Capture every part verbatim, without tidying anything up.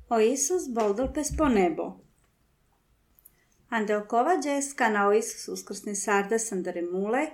O Isus boldolpes po nebo. Ande okova džeska na o Isus uskrsni sardas andere mule,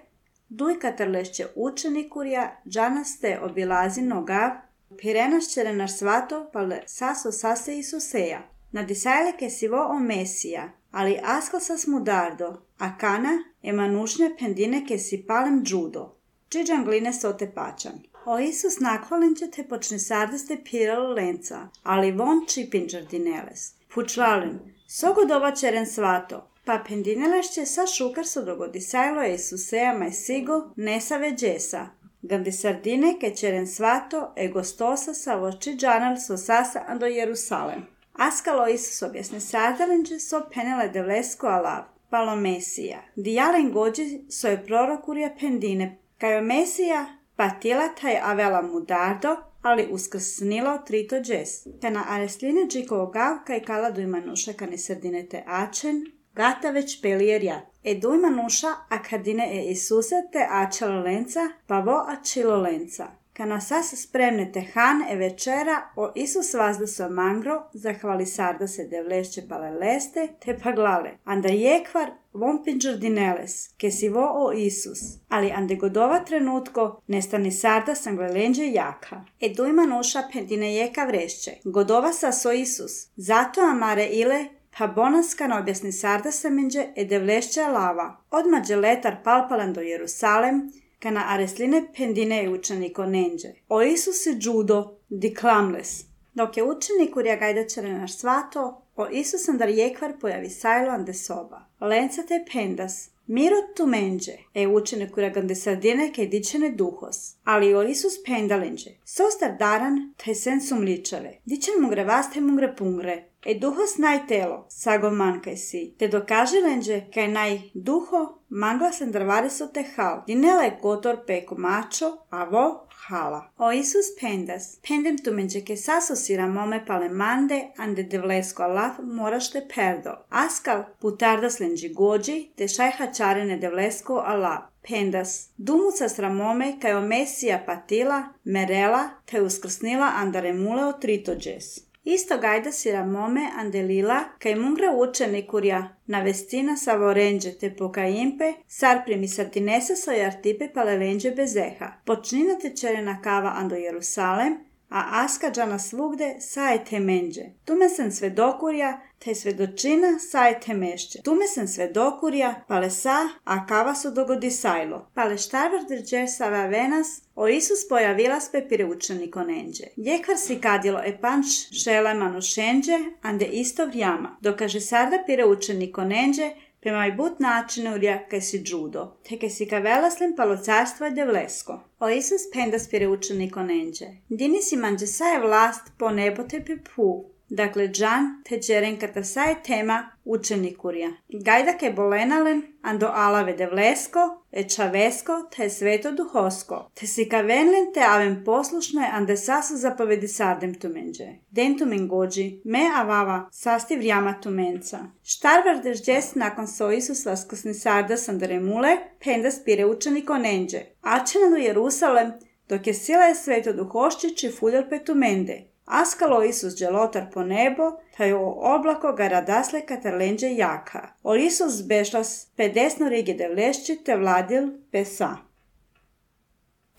duj katarlešće učenikurja, džanaste obilazi nogav, pirenašćere naš svato, pale saso sase Isuseja. Na disajle ke sivo o Mesija, ali askal sas mudardo, a kana emanušnje pendine ke si palem džudo. Čiđan gline sote pačan. O Isus nakvalinče te počne sardaste piralo lenca, ali von čipinđar dineles. Pučlalin, sogodova čeren svato, pa pendinelešće sa šukar so dogodisajlo Isuseja maj sigo nesa veđesa. Gandi sardine ke čeren svato e gostosa sa voči džanal so sasa ando Jerusalem. Askalo Isus objasne sardalinče so penele devlesko alav, palo Mesija. Dijalen gođi so je prorokurja pendine, kajo Mesija patila taj avela mudardo, ali uskrsnilo trito džes. Te na aresline džikovo gavka i kala dujma nuša kani sardine te ačen, gata već pelijer jat. E dujma nuša a kardine e Isuse te ačalo lenca, pa vo ačilo lenca. Kana sas spremne te han e večera, o Isus vazda so mangro, zahvali sarda se devlešće pale leste, te paglale. Anda jekvar von pinđar dineles, ke si vo o Isus. Ali ande godova trenutko, nestani sarda sanglelenđe jaka. E dujma nuša pendine jeka vrešće. Godova sas o Isus. Zato amare ile, pa bonaskan objasni sarda semenđe e devlešće lava. Odmađe letar palpalan do Jerusalem, kana aresline pendine i učeniko nenđe. O Isus i džudo, di klamles. Dok je učenik urja gajdačare naš svato, o Isus andar jekvar pojavi sajlo ande soba. Lenca te pendas, mirot tu menđe, e učenik urja gande sardine ke dičene duhos. Ali o Isus pendalenđe, sostar daran te sen sumličave. Dičen mungre vaste mungre pungre. E duhos naj telo, sago mankaj si, te dokaže lenđe kaj naj duho mangla sendrvari so te hal. Dinele gotor peko mačo, a vo hala. O Isus pendas, pendem tu menđe ke saso sira mome pale mande, ande devlesko alav moraš te perdo. Askal putardas lenđi gođi, te šajha čarene devlesko alav. Pendas, dumuca sramome kaj o Mesija patila, merela, te uskrsnila andare mule o tritođes. Isto gajda sira mome andelila, kaj mungre učenikurja na vestina sa vorenđe te pokajimpe, sar primi sartinesa so jartipe palelenđe bezeha. Počnina te čerena kava ando Jerusalem, a aska džana svugde saje te menđe. Tume sen svedokurja, te svedočina saje te mešće. Tume sen svedokurja, pale sa, a kava su dogodi sajlo. Pale štarvar drđe sava venas, o Isus pojavila spe pire učeniko nenđe. Jekvar si kadilo e panč šele manušenđe, ande isto vrijama. Dokaže sarda pire učeniko nenđe, prema i but načinu urja kaj si džudo, te kaj si ka velaslim palo carstvo je devlesko. O Isus pendas pire učeniko nenđe. Dini si manđe saje vlast po nebo te pepu. Dakle, džan te čeren kata saje tema učenikurja. Gajda ke bolenalen ando alave devlesko, e čavesko te sveto duhosko. Te si ka venlen te avem poslušne ande sasu zapovedi sardem tumenđe. Den tumen gođi, me avava sasti vrijama tumenca. Štarvar dežđes nakon so Isus vaskosni sardas andare mule, pendas pire učeniko nenđe. Ačenalu Jerusalem, dok je sila je sveto duhoščići fuljor petumende. Askalo Isus dželotar po nebo, taj o oblako ga radasle katarlenđe jaka. O Isus bešlas pedesno rige devlešći te vladil pesa.